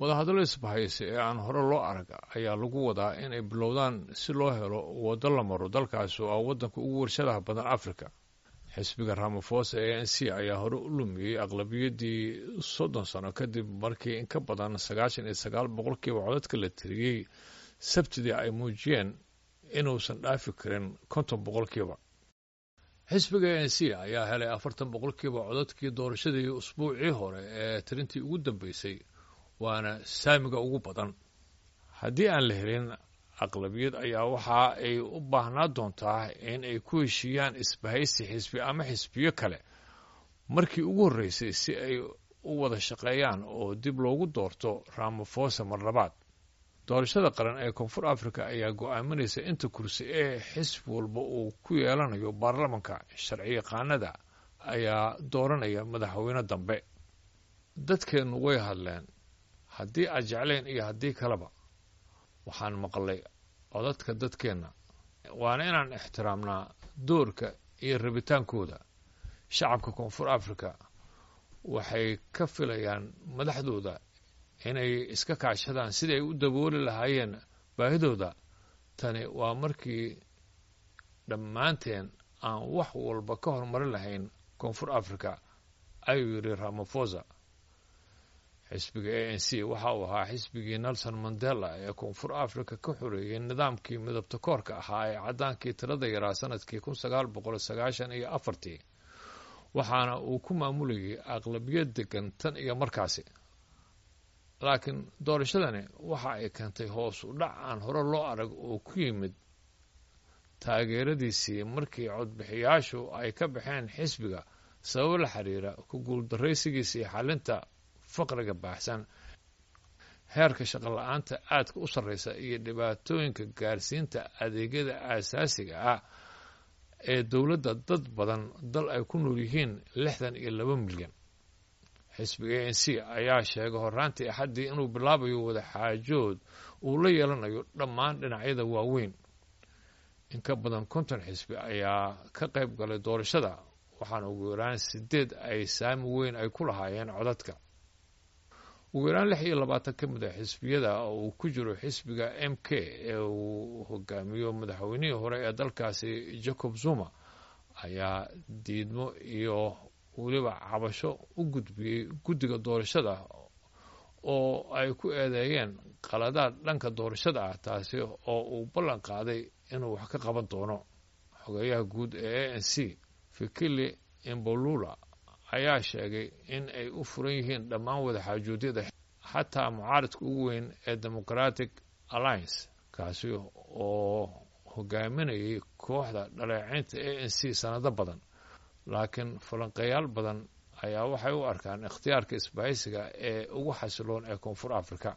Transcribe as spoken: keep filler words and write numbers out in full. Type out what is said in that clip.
Wadahadallo isbahaysi ee aan hore loo arag ayaa lagu wadaa inay bilowdaan si loo helo waddo la maro dalkaasi oo ah waddanka ugu warshadaha badan Afrika. Xisbiga Ramaphosa, A N C, ayaa hore u lumiyey aqlabiyaddii soddon sano kadib markii in ka badan sagaashan iyo sagaal boqolkiiba codadka la tiriyey Sabtidii ay muujiyeen inuusan dhaafi karin konton boqolkiiba. Xisbiga A N C ayaa helay afartan boqolkiiba codadkii doorashadii usbuucii hore ee tirintii ugu dambeysay, waana saamiga ugu badan. Haddii aan la helin aqlabiyad ayaa waxa ay u baahnaa doontaa in ay ku heshiiyaan isbahaysi xisbi ama xisbiyo kale markii ugu horreysay si ay u wada shaqeeyaan oo dib loogu doorto Ramaphosa mar labaad. Doorashada qaran ee Koonfur Africa ayaa go'aaminaysa inta kursi ee xisbi walba uu ku yeelanayo baarlamanka. Sharci yaqaanada ayaa dooranaya madaxweyne dambe. Dadkeennu way hadleen, haddii aad jecleen iyo haddii kaleba. Waxaan maqlay codadka dadkeenna, waana inaan ixtiraamnaa doorka iyo rabitaankooda. Shacabka Koonfur Africa waxay ka filayaan madaxdooda inay iska kaashadaan sidii ay u dabooli lahaayeen baahidooda. Tani waa markii dhammaanteen aan wax walba ka horumarin lahayn Koonfur Africa, ayuu yidhi Ramaphosa. Xisbiga A N C waxa uu ahaa xisbigii Nelson Mandela ee Koonfur Africa ka xoreeyey nidaamkii midabta koorka ahaa ee caddaankii tirada yaraa sanadkii kun sagaal boqol sagaashan iyo afartii, waxaana uu ku maamulayay aqlabiyad degan tan iyo markaasi. Laakiin doorashadani waxa ay keentay hoos u dhac aan hore loo arag oo ku yimid taageeradiisii markii codbixiyaashu ay ka baxeen xisbiga sababo la xiriira ku guuldaraysigiisii xalinta faqriga baahsan, heerka shaqo la'aanta aadka u sarreysa iyo dhibaatooyinka gaarsiinta adeegyada aasaasiga ah ee dowladda dad badan dal ay ku nool yihiin lixdan iyo laba milyan. Xisbiga A N C ayaa sheegay horraantii Axaddii inuu bilaabayo wadaxaajood uu la yeelanayo dhammaan dhinacyada waaweyn. In ka badan konton xisbi ayaa ka qayb galay doorashada, waxaana ugu yaraan sideed ay saami weyn ay ku lahaayeen codadka. Ugu yaraan lix iyo labaatan ka mid ah xisbiyada oo uu ku jiro xisbiga M K ee uu hogaamiyo madaxweynihii hore ee dalkaasi Jacob Zuma ayaa diidmo iyo weliba cabasho u gudbiyey guddiga doorashada oo ay ku eedeeyeen qaladaad dhanka doorashada ah, taasi oo uu ballan qaaday inuu wax ka qaban doono. Xogeyaha guud ee A N C, Fikile Mbalula, ayaa sheegay in ay u furan yihiin dhammaan wadaxaajoodyada, xataa mucaaridka ugu weyn ee Democratic Alliance, kaasi oo hogaaminayay kooxda dhaleeceynta A N C sanado badan. Laakiin falanqeeyaal badan ayaa waxay u arkaan ikhtiyaarka isbahaysiga ee ugu xasiloon ee Koonfur Africa.